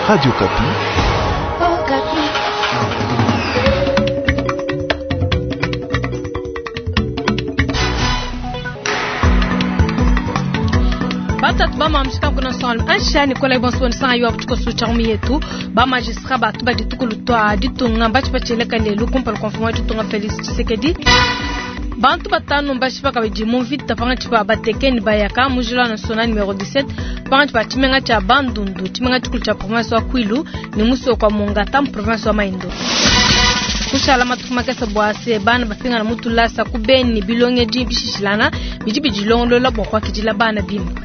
Radio Okapi. Batatu bamamishika kuna songo ansha Nicolas Bonso nsanga yo abutuko su yetu ba magistrat batu badituku lutwa ditunga bachi bacheleka lelu kumpala kwa mfumu wa ditunga Felix Tshisekedi. Bantu batanu mbashipa kabidi mu mvita pangatshi pa batekeni bayaka mu njila national numero 17 pangatshi pa tshimenga tshia Bandundu, tshimenga tshikulu tshia province wa Kwilu ne musoko wa Mongata mu province wa Maindombe. Kushala matuku makese bua se bana bapingana mu tulasa ku Beni bilongedi bishishilana bidi bidilongolola bua kuakidila bana bimpe.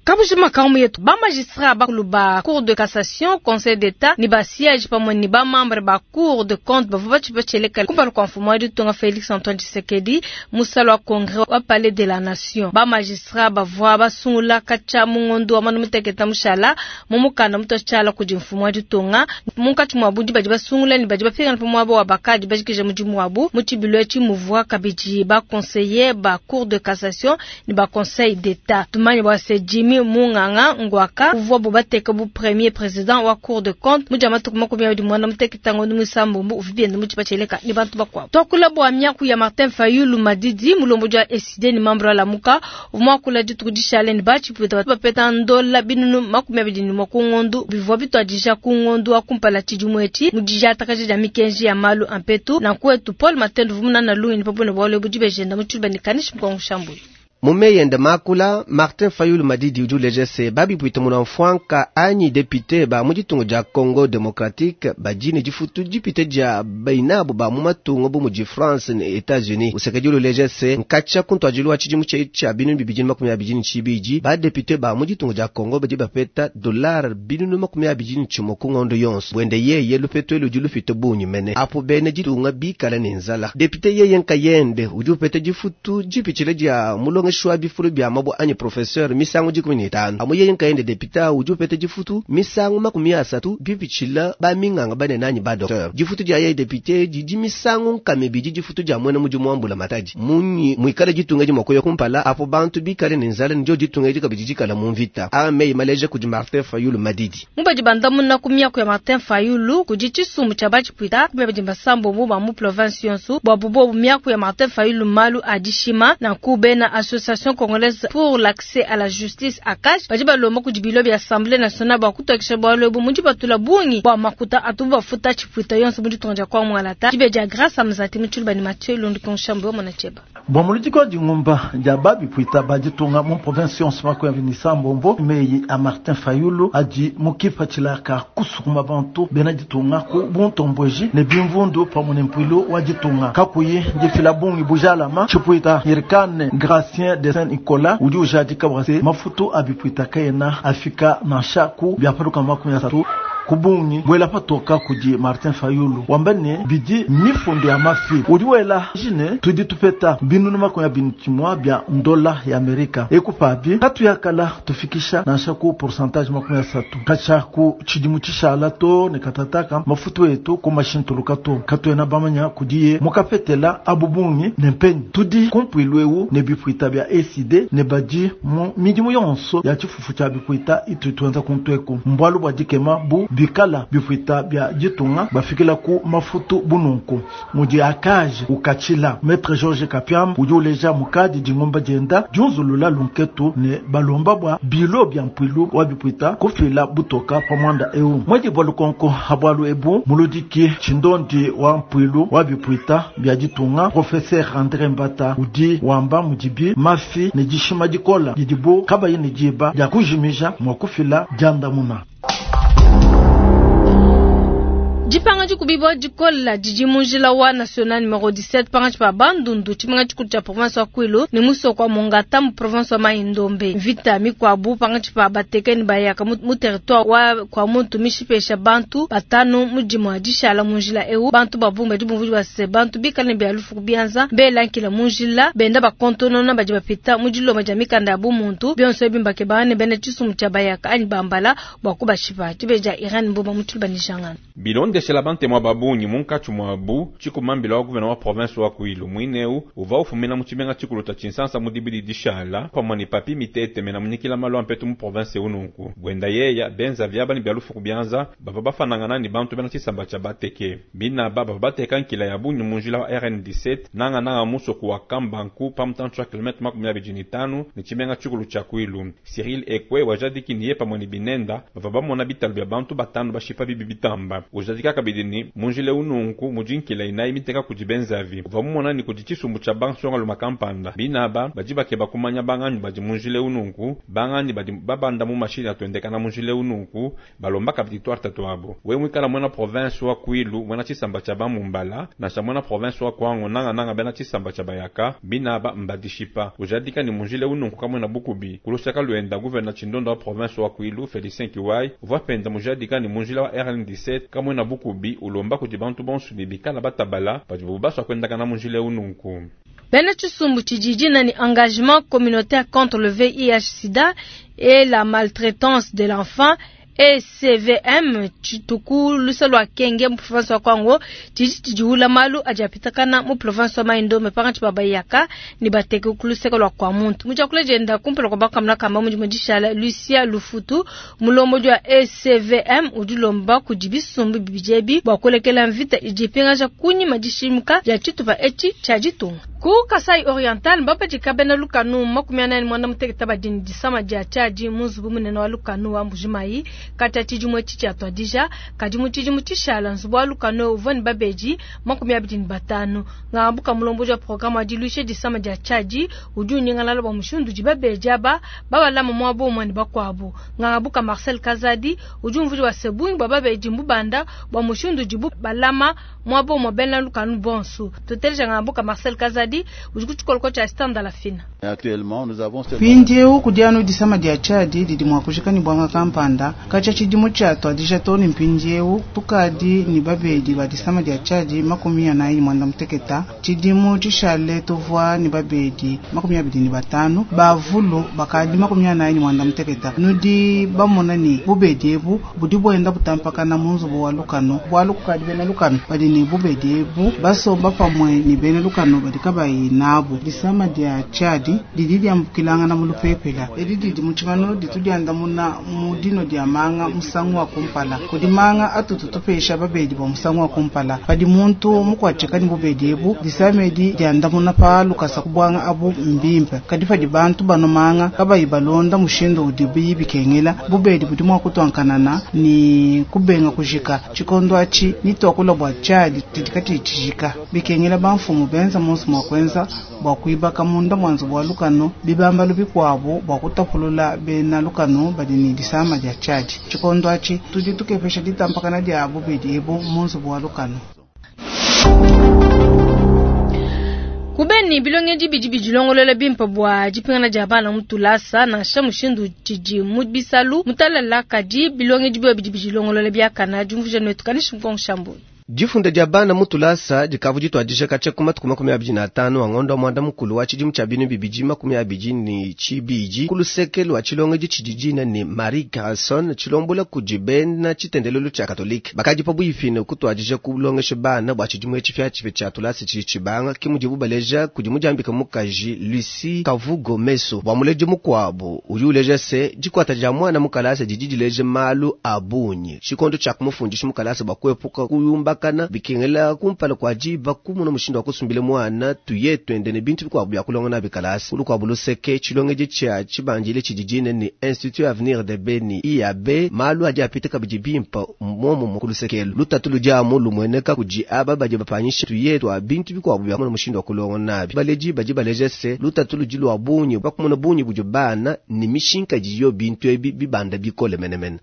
Kabujima kamu yetu ba magistrat bakulu ba cour de cassation, conseil d'état ni ba siège pamwe ni ba membre ba cour de compte bavua batshipetsheleka kumpala kua mfumu wa ditunga Felix Antoine Tshisekedi musala wa congrès wa palais de la nation. Ba magistrat bavua basungula katshia mu ngondo wa manu muteketa mushala mu mukanda mutotshala kudi mfumu wa ditunga munkatshi mua budi badi basungula ni badi bapingana pa muaba wa bakadi bajikija mudimu wabu mu tshibilu etshi muvua kabidi ba conseiller ba cour de cassation ni ba conseil d'état. Tumanye bua se Jimmy Munganga Ngwaka uvua bubateka bu premier président wa cour de compte mu dia matuku 21 muteketa ngondo muisambombo uvi bienda mu tshipatsheleka ni bantu bakuabu. Tuakula bua miaku ya Martin Fayulu Madidi mulombodi wa ECD ni membre wa Lamuka uvua muakula dituku dishale ni batshipuita bapeta ndola binunu 21 ku ngondo bivua bituadija ku ngondo wa kumpala tshidimu etshi mu didiatakaja dia mikenji ya malu a mpetu. Nanku wetu Paul Matendo uvua munana lungenyi pa buena bualu ebu dibejenda mu tshiluba ne kanishi mukuangu shambulu. Mu meyi ende makula, Martin Fayulu Madidi udi uleja se babipuita muna mfuanka anyi député ba mu ditunga dia Congo démocratique badi ne difutu dipite dia bainabu ba mu matunga bu mudi France ne États-Unis. Usekedi uleja se nkatshia kuntuadilu wa tshidimu tshia 2022 ba député ba mu ditunga dia Congo badi bapeta dollar 21 ku ngondo yonso. Bwende yeye lupetu elu udi lupite bungi mene. Apo bene ditunga bikala ne nzala. Député yeye nkayende udi upeta difutu dipitshile dia mulongeshi wa bifulu bia mabua anyi professeur misangu 15. Amu yeye nkayende député udi upeta difutu misangu 30 bipitshila ba minganga banene anyi ba docteur. Difutu dia yeye député didi misangu nkame bidi difutu dia mwena mudimu wa mbula matadi. Munyi mwikale ditunga di mwakoya kumpala apo bantu bikale ne nzala ndio ditunga di kabidi dikala mu mvita. A meyi maleja kudi Martin Fayulu Madidi. Mubadi bandamuna ku miaku ya Martin Fayulu kudi tshisumbu tshia batshipuita kubedi basambo ba mu province yonso bua bubobu miaku ya Martin Fayulu malu a dishima na kubena association congolaise pour l'accès à la justice ACAJ badi balomba kudi bilo bia assemblée nationale bua kutokesha bualu ebu mudi batula bungi bua makuta atu bafuta tshipuita yonso mu ditunga dia kwa Mwalata. Dibe dia Grâce Amzati mu tshiluba ni Mathieu Lundu Konshambo wa Mona Cheba. Bua muludiki wa dingumba dia babipuita baditunga mu province yonso 26 meyi a Martin Fayulu adi mukipa tshilaka kusukuma bantu bena ditunga ku buntombweji ne bimvundu pamwe ne mpuilu wa ditunga kakuyi difila bungi bujalama tshipuita Hirkane Gracien de Saint Nicolas udi ujadika bua se mafutu abipuita kayena afika nansha ku biapaluka 30 kubungi bwela patoka kudi Martin Fayulu wamba ne bidi mifundo ya mafi udi wela jine tudi tupeta binunu 21 bia ndola ya Amerika ekupabi katuyakala tufikisha nansha ku pourcentage 30 kacha ku tshidimu tshishala to ne katataka mafutu etu ku mashintuluka to katuena bamanya kudiye mukapetela abubungi ne mpenyi tudi kumpuilu ewu ne bipuita bia ECD ne badi mu midimu yonso ya tshifufu tshia bipuita itu tuenza kuntweku mbwalu bua dikema bu bikala bipuita bia ditunga bafikila ku mafutu bununku mudi akaje ukachila Maître Georges Kapiam udi uleja mukadi dingomba dienda diunzulula lunketu ne balomba bua bilo bia mpuilu wa bipuita kufila butoka pa mwanda eu mwedi bua lukonko habwalu ebu muludiki tshindondi wa mpuilu wa bipuita bia ditunga Professeur André Mbata udi wamba mudibi mafi ne dishima dikola didibu kabayi ne diba dia kujimija mua kufila diandamuna. Dipanga dikubibwa dikola didi mu njila wa national numero 17 pangatshi pa Bandundu tshimenga tshikulu tshia province wa Kwilu ne musoko wa Mongata mu province wa Mai-Ndombe. Mvita mikuabu pangatshi pa batekeni bayaka mu territoire wa kwa muntu mishipesha bantu batanu mu dimua dishala mu njila eu. Bantu babungi badi bumvudi bua se bantu bikale ne bia lufu ku bianza bela nkila mu njila benda bakontonona badi bapita mu dilomba dia mikanda ya bumuntu bionso ebi mbakebanga ne bena tshisumbu tshia bayaka anyi bambala bua kubashipa. Dibeja Iran Mboma mu tshiluba ni Jangana. Bilonde. Bilondeshela bantemu ba bungi munkatshi muabu, tshikuma-mbila wa gouverneur wa province wa Kwilu muine eu uvua ufumina mu tshimenga tshikulu tshia Tshinsansa mu dibidi dishala pamue ne Papi Mitete mena munyikila malu a mpetu mu province eu. Nunku buenda yeya benza viaba ne bia lufu ku bianza bavua bafanangana ne bantu bena tshisamba tshia Bateke. Binaba bavua bateka nkila ya bungi mu njila wa RN17 nangananga musoko wa Kambanku pa mutantshi wa kilomètre 25 ne tshimenga tshikulu tshia Kwilu. Cyril Ekwe wajadiki ni ye pamue ne binenda bavua bamona bitalu bia bantu batanu bashipa bibi bitamba. Ujadika kabidi ni mu njila eu nunku mudi nkila inayi miteka kudi benzavi. Uvua mumona ni kudi tshisumbu tshia bansongalume kampanda binaba badi bakeba kumanya banganyi badi mu njila eu nunku, banganyi badi babanda mu mashini atuendekana mu njila eu nunku, balomba kabidi tuarta tuabo. We muikala muena province wa Kwilu, muena tshisamba tshia Bamumbala, nansha muena province wa Kwango, nanga nanga bena tshisamba tshia Bayaka, binaba mbadishipa. Ujadika ni mu njila eu nunku kamwena bukubi. Kulusaka luenda gouverneur Tshindondo wa province wa Kwilu, Félicien Kiwai, uvua penda mujadika ni mu njila wa RN17 kamwena bukubi ulomba kudi bantu bonso ne bikala batabala badi baswa kuendakana mu njila eu nunku. Bena tshisumbu tshidi ni engagement communautaire contre le VIH-Sida et la maltraitance de l'enfant ECVM tshituku lusa lua Kenge mu province wa Kwango tshidi tshidiula malu adi apitakana mu province wa Mai-Ndombe pakantshi pa bayaka ne bateke ku luseke lua kwa muntu. Mu diakula dienda kumpala kua bakamuna kamba mudimu dishala Lucia Lufutu mulombodi wa ECVM udi ulomba kudi bisumbu bibidi ebi bua kulekela mvita idi ipingaja kunyima dishimuka dia tshitupa etshi tshia ditunga. Ku Kasai Oriental mbapatshika bena lukanu 48 badi ne disama dia tshiadi mu nzubu munene wa lukanu wa Mbujimayi katshia tshidimu etshi tshiatuadija. Kadi mu tshidimu tshishala nzubu wa lukanu uvua ne babedi 25. Ngambuka mulombodi wa programme wa diluisha disama dia tshiadi udi unyingalala bua mushindu udi babedi aba babalama muaba umue ne bakuabu. Ngambuka Marcel Kazadi udi umvuija bua se bungi bua babedi mbubanda bua mushindu udibu balama muaba umue bena lukanu bonso. Tuteleja Ngambuka Marcel Kazadi udi ku tshikoloko tshia stand la fina. Mpindieu kudi anu disama dia tshiadi didi mua kujika ne bwanga kampanda katshia tshidimu tshiatuadija too ne mpindieu tukadi ne babedi ba disama dia tshiadi 48. Tshidimu tshishale tuvua ne babedi 25 bavulu bakadi 48. Nudi bamona ne bubedi ebu budi buenda butampakana mu nzubu wa lukanu bualu kukadi bena lukanu badi ne bubedi ebu basomba pamue ne bena lukanu badi kabayi nabu. Disama dia tshiadi didi diambukilangana mu lupepela edi didi mu tshimanu ditu diandamuna mu dino dia manga musangu wa kumpala. Kudi manga atutu tupesha babedi bua musangu wa kumpala. Padi muntu mukuatshika ne bubedi ebu disama edi diandamuna pa lukasa kubwanga abu mbimpe. Kadi padi bantu bano manga kabayi balonda mushindu udi bikengela bubedi budi mua kutuankanana ni kubenga kujika. Tshikondo atshi nituakula bua tshiadi didi katshijika bikengela bamfumu benza monso mua kuenza bua kuibaka munda mwa nzubu wa lukanu bibambalu bikuabu bua kutapulula bena lukanu badi ne disama dia tshiadi. Tshikondo atshi tudi tukepesha ditampakana dia bubedi ebu mu nzubu wa lukanu. Kubeni bilongendi bidi bidilongolola bimpe bua dipingana dia bana mu tulasa nansha mushindu tshidi mu bisalu mutalala kadi bilongendi bio bidi bidilongolola biakana diumvuija netu kanishi mkongo. Difunda dia bana mu tulasa dikavu dituadija katshia ku matuku 25 a ngondo wa mwanda mukulu wa tshidimu tshia 2022 ku luseke lua tshilongedi tshidi dina ne Marie Garrison tshilombola kudi bena tshitendelelu tshia Katolike. Bakadi pabuipi ne kutuadija kulongesha bana bua tshidimu etshi tshipiatshipia tshia tulasa tshidi tshibanga ke mudibu baleja kudi mudiambika mukaji Lucie Kavugo Meso bua muledi mukuabu udi uleja se dikuata dia mwana mu kalasa didi dileja malu a bungi tshikondo tshia kumufundisha mu kalasa bua kuepuka kuyumbaka bikengela kumpala kwa diba kumuna mushindu wa kusumbila mwana tuye twende ne bintu bikuabu bia kulonga nabi kalasa. Ulukuabu luseke tshilongedi tshia tshibandile tshidi dina ne Institut Avenir de Beni IAB malu adi apita kabidi bimpa muomumu ku lusekelu lutatu ludi amu lumueneka kudi aba badi bapanyisha tuye twa bintu bikuabu bia kumuna mushindu wa kulonga nabi. Baledi badi baleja se lutatu ludi lua bungi bakumuna bungi budi bana ne mishinka diyo bintu ebi bibanda bikole menemene.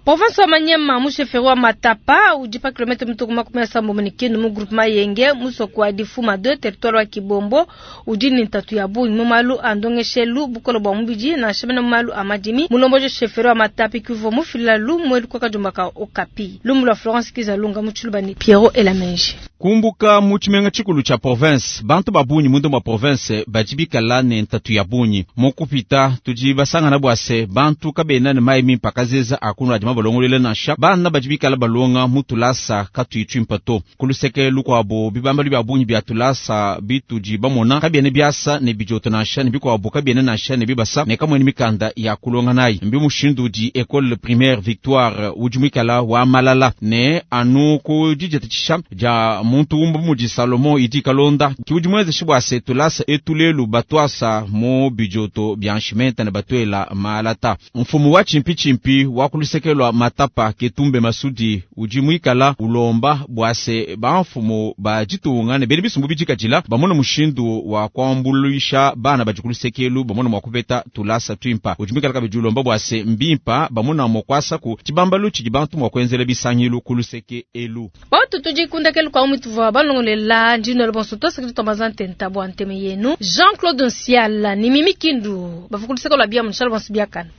Province wa Manyema mu chefferie wa Matapa udi pa kilomètre mituku 75 kinu mu groupement Yenge musoko wa Difuma 2 territoire wa Kibombo udi ne ntatu ya bungi mu malu a ndongeshelu bukolo bua mubidi nansha mena mu malu a madimi. Mulomboji chefferie wa Matapa kivua mufila lumu elu kwa kajumba ka Okapi. Lumu lwa Florence Kizalunga mu Tshiluba ni Pierrot Elamenji. Kumbuka mu tshimenga tshikulu tshia province bantu ba bungi mundu mwa province badi bikala ne ntatu ya bungi mokupita tudi basangana bua se bantu kabena ne mayi mimpe akazeza akunu adi balongoluela nansha bana badi bikala balonga mu tulasa katuyi tuimpa to. Ku luseke lukuabu, bibambalu bia bungi bia tulasa bitudi bamona kabiena biasa ne bidioto nansha, ne bikuabu kabiena nansha ne bibasa ne kamuena mikanda ya kulonga nayi. Mbi mushindu udi Ecole Primaire Victoire udi muikala wa malala ne anu ku diditatshisha dia muntu umue bu mudi Salomon Idi Kalonda ki udi muenzeshe bua se tulasa etu lelu batuasa mu bidioto bia nshimenta ne batuela malata. Mfumu wa tshimpitshimpi wa ku luseke lua Matapa Ketumbe Masudi udi muikala ulomba bua se bamfumu ba ditunga ne bena bisumbu bidikadila bamone mushindu wa kuambuluisha bana badi ku luseke elu bamone mua kupeta tulasa tuimpa. Udi muikala kabidi ulomba bua se mbimpa bamona mua kuasaku tshibambalu tshidi bantu mua kuenzela bisangilu ku luseke elu. Batu tudi kundekelu kwa mutuvua balongolela ndino bonso tosakidi twambaza ntenta bua nteme yenu Jean-Claude Nsiala ni Mimi Kindu bavua ku luseke lua bia munshala bonso biakana.